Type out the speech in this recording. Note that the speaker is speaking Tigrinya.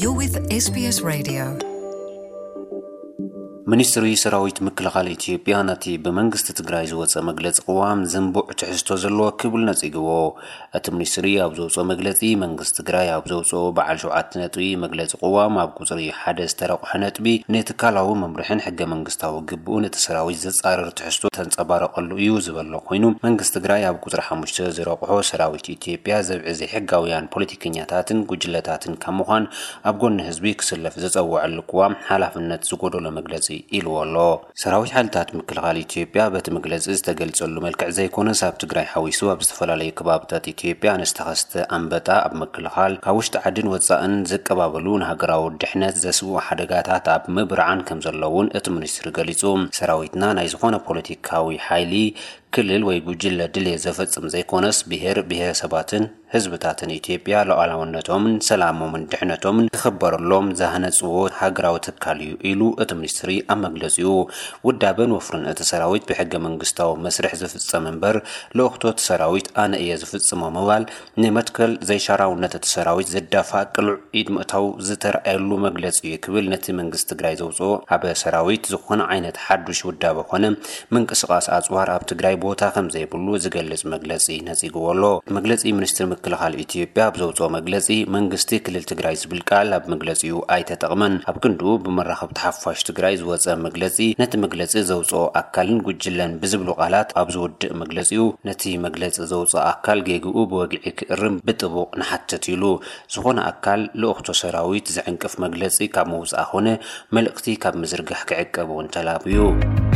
You're with S B S Radio. ሚኒስትሪ ሰራዊት ምክልኻል ኢትዮጵያ ነቲ ብመንግስቲ ትግራይ ዝወፀ መግለፂ ቅዋም ዝንቡዕ ትሕዝቶ ዘለዎ ክብል ነፂግዎ። እቲ ሚኒስትሪ ኣብ ዘውፅኦ መግለፂ፣ መንግስቲ ትግራይ ኣብ ዘውፅኦ በዓል ሸውዓተ ነጥቢ መግለፂ ቅዋም ኣብ ቁፅሪ ሓደ ዝተረቑሐ ነጥቢ ንትካላዊ መምርሕን ሕገ መንግስታዊ ግብኡን እቲ ሰራዊት ዘፃርር ትሕዝቶ ተንፀባረቐሉ እዩ ዝበሎ ኮይኑ፣ መንግስቲ ትግራይ ኣብ ቁፅሪ ሓሙሽተ ዝረቑሖ ሰራዊት ኢትዮጵያ ዘብዒ ዘይሕጋውያን ፖለቲከኛታትን ጉጅለታትን ካብ ምዃን ኣብ ጎኒ ህዝቢ ክስለፍ ዝፀወዐሉ ቅዋም ሓላፍነት ዝጎደሎ መግለፂ ኢልዎ ኣሎ። ሰራዊት ሓይልታት ምክልኻል ኢትዮጵያ በቲ መግለፂ ዝተገልፀሉ መልክዕ ዘይኮነስ፣ ኣብ ትግራይ ሓዊሱ ኣብ ዝተፈላለዩ ከባብታት ኢትዮጵያ ንዝተኸስተ ኣንበጣ ኣብ ምክልኻል፣ ካብ ውሽጢ ዓድን ወፃእን ዝቀባበሉ ንሃገራዊ ድሕነት ዘስግኡ ሓደጋታት ኣብ ምብርዓን ከም ዘለውን እቲ ሚኒስትሪ ገሊፁ። ሰራዊትና ናይ ዝኾነ ፖለቲካዊ ሓይሊ፣ ክልል ወይ ጉጅለ ድሌት ዘፈፅም ዘይኮነስ፣ ብሄር ብሄረሰባትን ህዝብታትን ኢትዮጵያ ሉዓላውነቶምን ሰላሞምን ድሕነቶምን ክኽበረሎም ዝሃነፅዎ ሃገራዊ ትካል እዩ ኢሉ እቲ ሚኒስትሪ ኣብ መግለፂኡ። ውዳበን ወፍርን እቲ ሰራዊት ብሕገ መንግስታዊ መስርሕ ዝፍፀም እምበር፣ ልእኽቶ እቲ ሰራዊት ኣነ እየ ዝፍፅሞ ምባል፣ ንመትከል ዘይሻራውነት እቲ ሰራዊት ዘዳፋእ ቅሉዕ ኢድ ምእታው ዝተረኣየሉ መግለፂ እዩ ክብል ነቲ መንግስቲ ትግራይ ዘውፅኦ ኣብ ሰራዊት ዝኾነ ዓይነት ሓዱሽ ውዳበ ኮነ ምንቅስቓስ ኣፅዋር ኣብ ትግራይ ቦታ ከም ዘይብሉ ዝገልጽ መግለጺ ነጺግዎ ኣሎ። መግለጺ ሚኒስትሪ ምክልኻል ኢትዮጵያ ኣብ ዘውፅኦ መግለጺ፣ መንግስቲ ክልል ትግራይ ዝብል ቃል ኣብ መግለጺኡ ኣይተጠቕመን። ኣብ ክንድኡ ብመራኸብቲ ሓፋሽ ትግራይ ዝወፀ መግለጺ፣ ነቲ መግለጺ ዘውፅኦ ኣካልን ጉጅለን ብዝብሉ ቃላት ኣብ ዝውድእ መግለጺኡ፣ ነቲ መግለጺ ዘውፅኦ ኣካል ጌግኡ ብወግዒ ክእርም ብጥቡቕ ንሓትት ኢሉ። ዝኾነ ኣካል ልእኽቶ ሰራዊት ዝዕንቅፍ መግለጺ ካብ ምውፃእ ኾነ መልእኽቲ ካብ ምዝርጋሕ ክዕቀብ እውን ተላብዩ።